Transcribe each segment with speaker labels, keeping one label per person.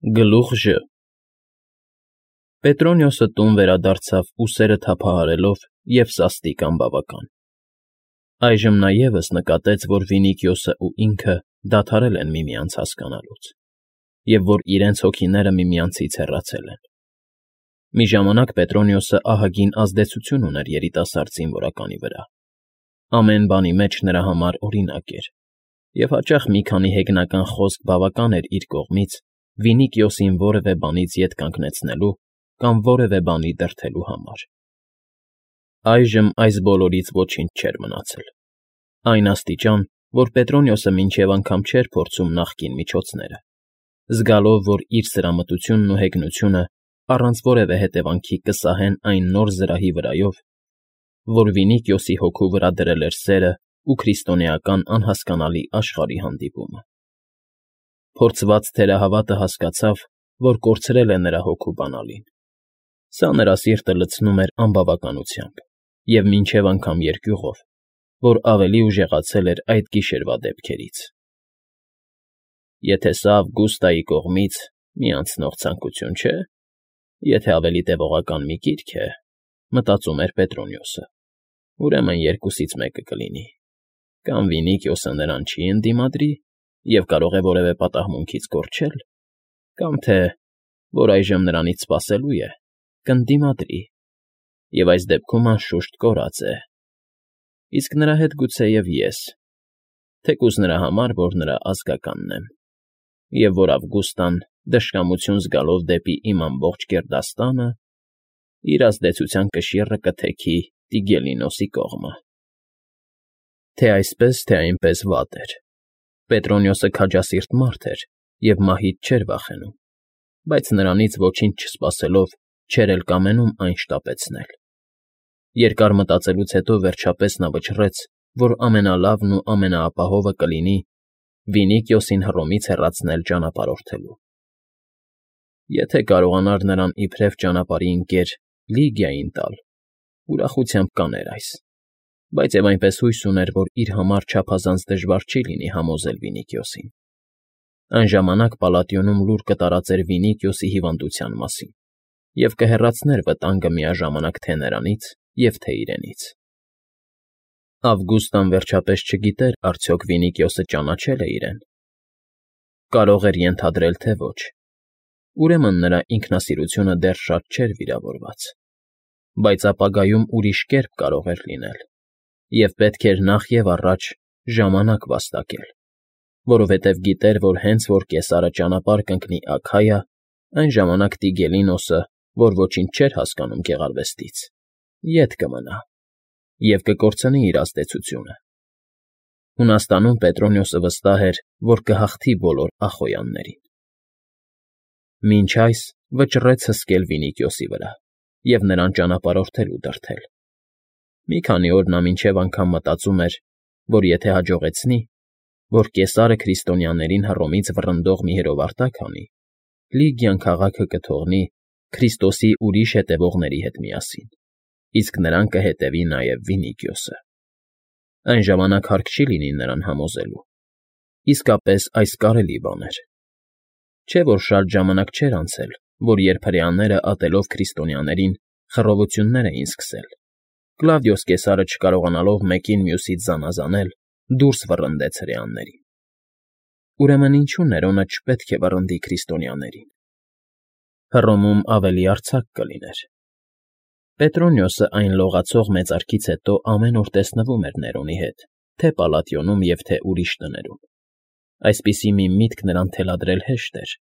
Speaker 1: Գլուխ Ժ Պետրոնիոսը տուն վերադարձավ ուսերը թափահարելով և սաստիկ անբավական. այժմ նա ևս նկատեց, որ Վինիքիոսն ու ինքը դադարել են միմյանց հասկանալուց, և որ իրենց հոգիները միմյանցից հեռացել են. մի ժամանակ Պետրոնիոսը ահագին ազդեցություն ուներ երիտասարդ զինվորականի վրա, ամեն բանի մեջ նրա համար օրինակ էր, և հաճախ մի քանի հեգնական խոսք բավական էր իր կողմից Վինիքիոսին որևէ բանից ետ կանգնեցնելու կամ որևէ բանի դրդելու համար. այժմ այս բոլորից ոչինչ չէր մնացել, այն աստիճան, որ Պետրոնիոսը մինչև անգամ չէր փորձում նախկին միջոցները, զգալով, որ իր սրամտությունն ու հեգնությունը առանց որևէ հետևանքի կսահեն այն նոր զրահի վրայով, որ Վինիքիոսի հոգու վրա դրել էր սերն ու քրիստոնեական անհասկանալի աշխարհի հանդիպումը. Փորձված թերահավատը հասկացավ, որ կորցրել է նրա հոգու բանալին. սա նրա սիրտը լցնում էր անբավականությամբ և մինչև անգամ երկյուղով, որ ավելի ուժեղացել էր այդ գիշերվա դեպքերից։ Եթե սա Ավգուստայի կողմից մի անցնող ցանկություն չէ, եթե ավելի տևողական մի կիրք է, մտածում էր Պետրոնիոսը, ուրեմն երկուսից մեկը կլինի. կամ Վինիքիոսը նրան չի ընդդիմադրի և կարող է որևէ պատահմունքից կորչել, կամ թե, որ այժմ նրանից սպասելու է, կընդդիմադրի, և այս դեպքում անշուշտ կորած է, իսկ նրա հետ գուցեև ես, թեկուզ նրա համար, որ նրա ազգականն եմ, և որ Ավգուստան, դժկամություն զգալով դեպի իմ ամբողջ գերդաստանը, իր ազդեցության կշիռը կթեքի Տիգելինոսի կողմը։ Թե այսպես, թե այնպես վատ էր. Պետրոնիոսը քաջասիրտ մարդ էր և մահից չէր վախենում, բայց նրանից ոչինչ չսպասելով չէր էլ կամենում այն շտապեցնել։ Երկար մտածելուց հետո վերջապես նա վճռեց, որ ամենալավն ու ամենաապահովը կլինի Վինիքիոսին Հռոմից հեռացնել ճանապարհորդելու։ Եթե կարողանար նրան իբրև ճանապարհի ընկեր Լիգիային տալ, ուրախությամբ կաներ այս, բայց և այնպես հույս ուներ, որ իր համար չափազանց դժվար չի լինի համոզել Վինիքիոսին։ Այն ժամանակ Պալատիոնում լուր կտարածեր Վինիքիոսի հիվանդության մասին և կհեռացներ վտանգը միաժամանակ թե նրանից և թե իրենից։ Ավգուստան վերջապես չգիտեր արդյոք Վինիքիոսը ճանաչե՞լ է իրեն։ Կարող էր ենթադրել, թե ոչ, ուրեմն նրա ինքնասիրությունը դեռ շատ չէր վիրավորված, բայց ապագայում ուրիշ կերպ կարող էր լինել, և պետք էր նախ և առաջ ժամանակ վաստակել, որովհետև գիտեր, որ հենց որ Կեսարը ճանապարհ կընկնի Աքայա, այն ժամանակ Տիգելինոսը, որ ոչինչ չէր հասկանում գեղարվեստից, ետ կմնա և կկորցնի իր ազդեցությունը։ Հունաստանում Պետրոնիոսը վստահ էր, որ կհաղթի բոլոր Ախոյաններին։ Մինչ այս վճռեց հսկել Վինիքիոսի վրա և նրան ճանապարհորդելու դրդել։ Մի քանի օր նա մինչև անգամ մտածում էր, որ եթե հաջողեցնի, որ Կեսարը քրիստոնյաներին Հռոմից վռնդող մի հրովարտակ անի, Լիգիան քաղաքը կթողնի Քրիստոսի ուրիշ հետևողների հետ միասին, իսկ նրան կհետևի նաև Վինիքիոսը։ Այն ժամանակ հարկ չի լինի նրան համոզելու։ Իսկապես այս կարելի բան էր։ Չէ՞ որ շատ ժամանակ չէր անցել, որ երբ հրեաները ատելով քրիստոնյաներին խռովություններ էին սկսել, Կլավդիոս Կեսարը չկարողանալով մեկին մյուսից զանազանել, դուրս վռնդեց հրեաներին։ Ուրեմն ինչու Ներոնը չպետք է վռնդի քրիստոնյաներին։ Հռոմում ավելի արձակ կլիներ։ Պետրոնիոսը այն լողացող մեծարքից հետո ամեն օր տեսնվում էր Ներոնի հետ թե Պալատիոնում և թե ուրիշ տներում։ Այսպիսի մի միտք նրան թելադրել հեշտ էր,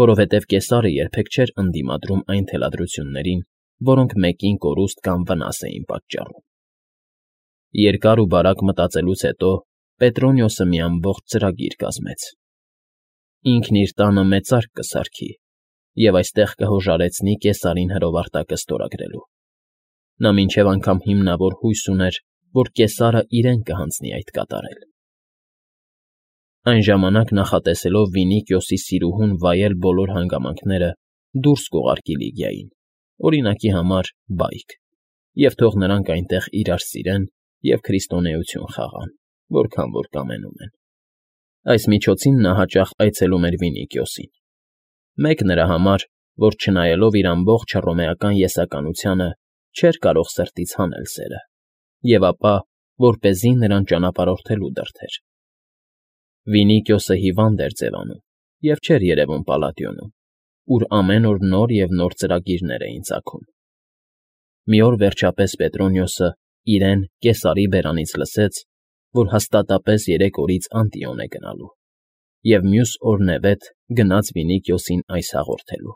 Speaker 1: որովհետև Կեսարը երբեք չէր ընդդիմադրում այն թելադրություններին, որոնք մեկին կորուստ կամ վնաս էին պատճառում։ Երկար ու բարակ մտածելուց հետո Պետրոնիոսը մի ամբողջ ծրագիր կազմեց։ Ինքն իր տանը մեծարկ կսարքի և այստեղ կհոժարեցնի Կեսարին հրովարտակը ստորագրելու։ Նա մինչև անգամ հիմնավոր հույս ուներ, որ Կեսարը իրեն կհանձնի այդ կատարել։ Այն ժամանակ նախատեսելով Վինիքիոսի սիրուհուն վայել բոլոր հանգամանքները, դուրս կուղարկի Լիգիային, օրինակի համար բայկ, և թող նրանք այնտեղ իրար սիրեն և քրիստոնեություն խաղան, որքան որ կամենում են։ Այս միջոցին նա հաճախ այցելում էր Վինիքիոսին։ Մեկ նրա համար, որ չնայելով իր ամբողջ հռոմեական եսականությանը չէր կարող սրտից հանել սերը, և ապա, որպեսզի նրան ճանապարհորդելու դրդեր։ Վինիկիոսը հիվանդ էր ձևանում և չէր երևում Պալատիոնում, ուր ամեն օր նոր և նոր ծրագիրներ էին ծագում։ Մի օր, վերջապես, Պետրոնիոսը իրեն Կեսարի բերանից լսեց, որ հաստատապես 3 օրից Անտիոն է գնալու, և մյուս օրնևեթ գնաց Վինիկիոսին այս հաղորդելու։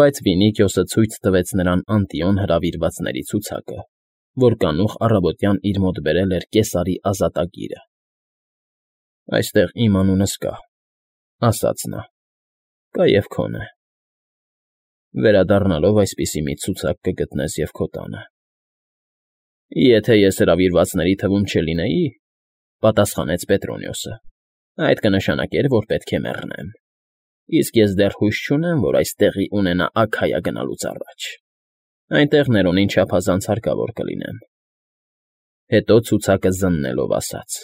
Speaker 1: Բայց Վինիկիոսը ցույց տվեց նրան Անտիոն հրավիրվածների ցուցակը, որ կանուխ առավոտյան իր մոտ բերել էր Կեսարի ազատագիրը։ «Այստեղ իմ անունս կա,֊ ասաց նա,֊ կա և քոնը։ Վերադառնալով այսպիսի մի ցուցակ կգտնես և քո տանը»։ «Եթե ես հրավիրվածների թվում չլինեի,֊ պատասխանեց Պետրոնիոսը,֊ այդ կնշանակեր, որ պետք է մեռնեմ, իսկ ես դեռ հույս չունեմ, որ այս տեղի ունենա Աքայա գնալուց առաջ. այնտեղ Ներոնին չափազանց հարկավոր կլինեմ»։ Հետո ցուցակը զննելով ասաց.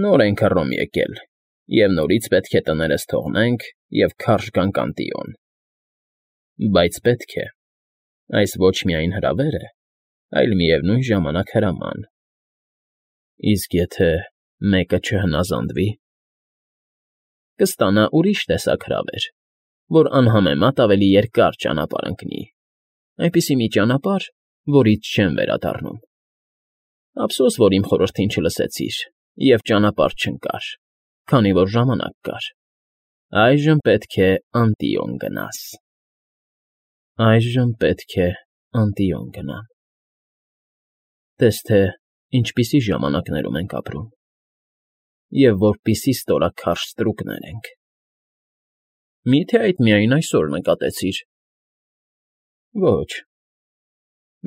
Speaker 1: «Նոր ենք Հռոմ եկել, և նորից պետք է տներս թողնենք և քարշ գանք Անտիոն։ Բայց պետք է. այս ոչ միայն հրավեր է, այլ միևնույն ժամանակ հրաման։ Իսկ եթե մեկը չհնազանդվի, կստանա ուրիշ տեսակ հրավեր, որ անհամեմատ ավելի երկար ճանապարհ ընկնի, այնպիսի մի ճանապարհ, որից չեմ վերադառնում։ Ափսոս, որ իմ խորհրդին չլսեցիր և ճանապարհ չընկար, քանի որ ժամանակ կար։ Այժմ պետք է Անտիոն գնաս»։ Այժմ պետք է Անտիոն գնամ։ Տես թե ինչպիսի ժամանակներում ենք ապրում, և որպիսի ստորաքարշ ստրուկներ ենք։ Մի՞թե այդ միայն այսօր նկատեցիր։ Ոչ,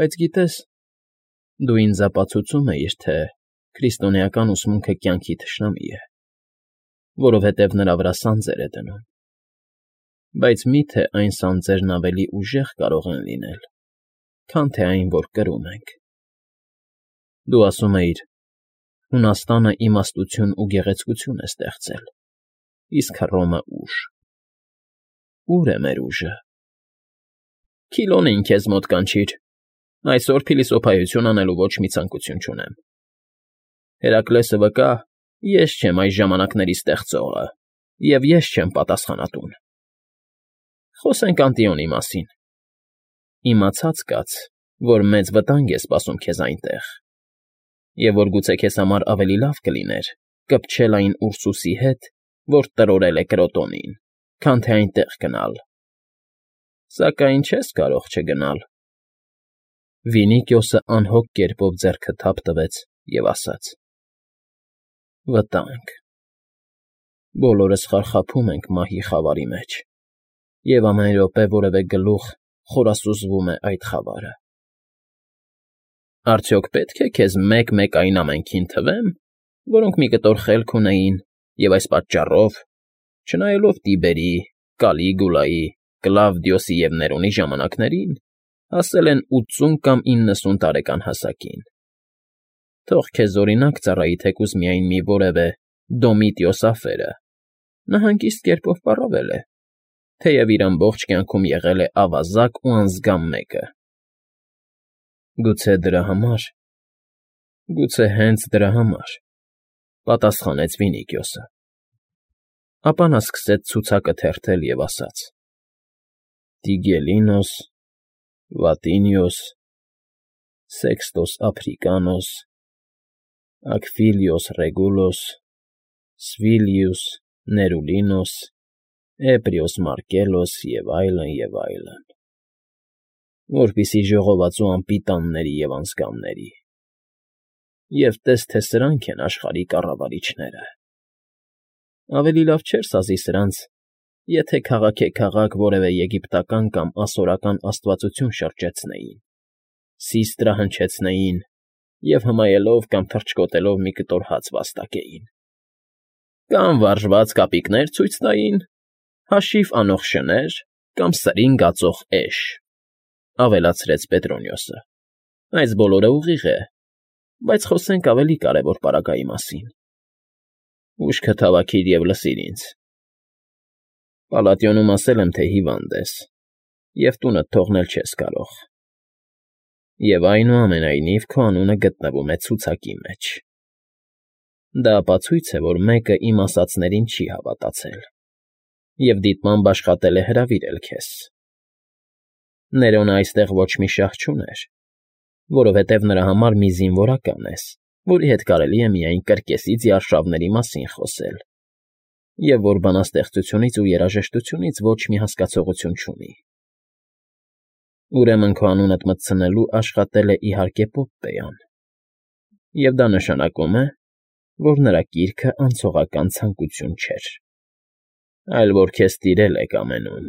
Speaker 1: բայց գիտես, դու ինձ ապացուցում էիր, թե քրիստոնեական ուսմունքը կյանքի թշնամի է, որովհետև նրա վրա սանձեր է դնում։ Բայց մի՞թե այն սանձերն ավելի ուժեղ կարող են լինել, քան թե այն, որ կրում ենք։ Դու ասում էիր. «Հունաստանը իմաստություն ու գեղեցկություն է ստեղծել, իսկ Հռոմը՝ ուժ»։ Ո՞ւր է մեր ուժը։ Քիլոնին քեզ մոտ կանչիր։ Այսօր փիլիսոփայություն անելու ոչ մի ցանկություն չունեմ։ Հերակլեսը վկա, ես չեմ այս ժամանակների ստեղծողը, և ես չեմ պատասխանատուն։ Խոսենք Անտիոնի մասին։ Իմացած կաց, որ մեծ վտանգ է սպասում քեզ այնտեղ, և որ գուցե քեզ համար ավելի լավ կլիներ կպչել այն Ուրսուսի հետ, որ տրորել է Կրոտոնին, քան թե այնտեղ գնալ։ Սակայն չես կարող չգնալ։ Վինիկիոսը անհոգ կերպով ձեռքը թափ տվեց և ասաց. «Վտանգ… Բոլորս խարխափում ենք մահի խավարի մեջ, և ամեն րոպե որևէ գլուխ խորասուզվում է այդ խավարը։ Արդյոք պետք է քեզ մեկ֊մեկ այն ամենքին թվեմ, որոնք մի կտոր խելք ունեին և այս պատճառով, չնայելով Տիբերի, Կալիգուլայի, Կլավդիոսի և Ներոնի ժամանակներին, հասել են 80 կամ 90 տարեկան հասակին։ Թող քեզ օրինակ ծառայի թեկուզ միայն մի որևէ Դոմիտիոս Աֆերը. նա հանգիստ կերպով պառավել է, թեև իր ամբողջ կյանքում եղել է ավազակ ու անզգամ մեկը։ Գուցե դրա համար, գուցե հենց դրա համար, պատասխանեց Վինիկիոսը։ Ապա նա սկսեց ցուցակը թերթել և ասաց. Տիգելինոս, Վատինիոս, Սեքստոս Ափրիկանոս, Ակվիլիոս Ռեգուլոս, Սվիլիուս Ներուլինոս, Էպրիոս Մարկելոս և այլն, և այլն, որպիսի ժողովածու անպիտանների և անձկամների։ Եվ տես թե սրանք են աշխարհի կառավարիչները։ Ավելի լավ չէր սազի սրանց, եթե քաղաքեքաղաք որևէ եգիպտական կամ ասորական աստվածություն շրջեցնեին, սիստրը հնչեցնեին և հմայելով կամ թռչկոտելով մի կտոր հաց վաստակեին։ Կամ վարժված կապիկներ ցույց տային, հաշիվ անող շներ կամ սրին գածող էշ, ավելացրեց Պետրոնիոսը։ Այս բոլորը ուղիղ է, բայց խոսենք ավելի կարևոր պարագայի մասին։ Ուշքդ հավաքիր և լսիր ինձ։ Պալատիոնում ասել եմ, թե հիվանդ ես, և տունդ թողնել չես կարող, և այնուամենայնիվ քո անունը գտնվում է ցուցակի մեջ. դա ապացույց է, որ մեկը իմ ասածներին չի հավատացել և դիտմամբ աշխատել է հրավիրել քեզ. Ներոնը այստեղ ոչ մի շահ չուներ, որովհետև նրա համար մի զինվորական ես, որի հետ կարելի է միայն կրկեսից արշավների մասին խոսել, և որ բանաստեղծությունից ու երաժշտությունից ոչ մի հասկացողություն չունի։ Ուրեմն քո անունդ մտցնելու աշխատել է իհարկե Պոպպեան, և դա նշանակում է, որ նրա կիրքը անցողական ցանկություն չէր, այլ որ քեզ տիրել է կամենում։